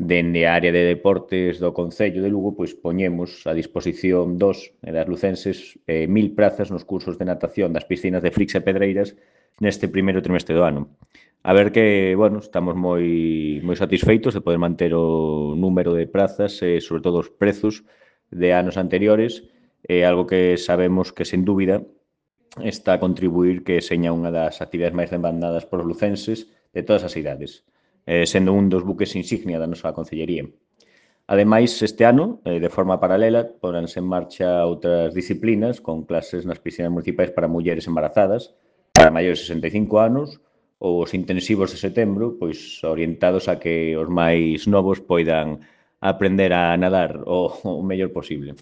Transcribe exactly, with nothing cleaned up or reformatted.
dende a área de deportes do Concello de Lugo, pois poñemos a disposición dos e das lucenses eh, mil prazas nos cursos de natación das piscinas de Flix e Pedreiras neste primeiro trimestre do ano. A ver que, bueno, estamos moi, moi satisfeitos de poder manter o número de prazas e, sobre todo, os prezos de anos anteriores, é algo que sabemos que, sen dúbida, está a contribuir que seña unha das actividades máis demandadas por lucenses de todas as idades, eh, sendo un dos buques insignia da nosa concellería. Ademais, este ano, eh, de forma paralela, ponanse en marcha outras disciplinas con clases nas piscinas municipais para mulleres embarazadas, para maiores de sesenta e cinco anos, ou os intensivos de setembro, pois orientados a que os máis novos poidan aprender a nadar o, o mellor posible.